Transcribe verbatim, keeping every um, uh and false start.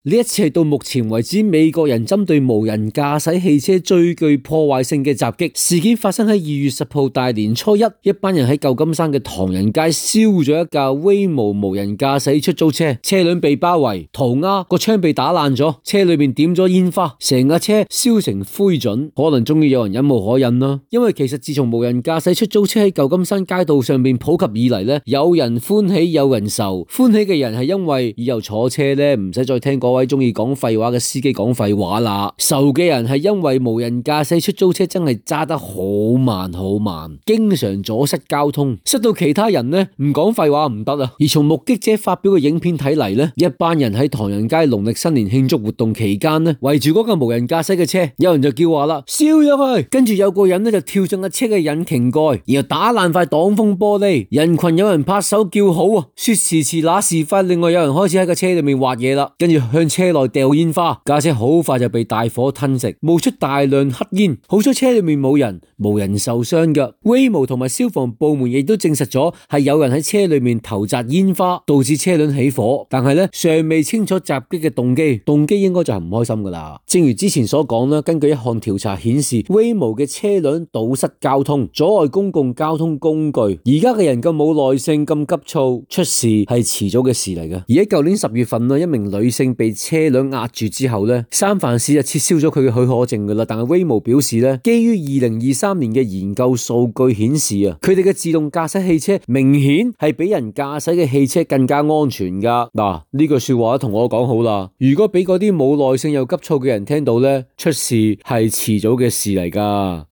呢一次係到目前為止美國人針對無人駕駛汽車最具破壞性嘅襲擊事件，發生喺二月十號大年初一，一班人喺舊金山嘅唐人街燒咗一架威模無人駕駛出租車，車輛被包圍，塗鴉個窗被打爛咗，車裏面點咗煙花，成架車燒成灰燼，可能終於有人忍無可忍啦。因為其實自從無人駕駛出租車喺舊金山街道上面普及以嚟咧，有人歡喜有人愁，歡喜嘅人係因為以後坐車咧唔使再聽嗰位中意講廢話嘅司機講廢話啦，愁嘅人係因為無人駕駛出租車真係揸得好慢好慢，經常阻塞交通，塞到其他人呢唔講廢話唔得啊。而從目擊者發表嘅影片睇嚟呢，一班人喺唐人街農曆新年慶祝活動期間呢，圍住嗰架無人駕駛嘅車，有人就叫話啦，燒咗去，跟住有個人呢就跳上架車嘅引擎蓋，然後打爛塊擋風玻璃，人群有人拍手叫好啊，說時遲那時快，另外有人開始喺個車裏面畫嘢啦，跟住向車內掉煙花，架車好快就被大火吞食，冒出大量黑煙，好彩車裏面冇人，冇人受傷噶。Waymo同埋消防部門亦都證實咗係有人喺車裏面投擲煙花，導致車輛起火，但係咧尚未清楚襲擊嘅動機，動機應該就係唔開心噶啦。正如之前所講啦，根據一項調查顯示 ，Waymo 嘅車輛堵塞交通，阻礙公共交通工具。而家嘅人咁冇耐性，咁急躁，出事係遲早嘅事嚟嘅。而喺舊年十月份啦，一名女性被車輛壓住之後咧，三藩市就撤銷咗佢嘅許可證噶啦。但係 Waymo 表示咧，基於二零二三年嘅研究數據顯示啊，佢哋嘅自動駕駛汽車明顯係比人駕駛嘅汽車更加安全噶。嗱，呢句說話同我講好啦，如果俾嗰啲冇耐性又急躁嘅人聽到咧，出事係遲早嘅事嚟噶。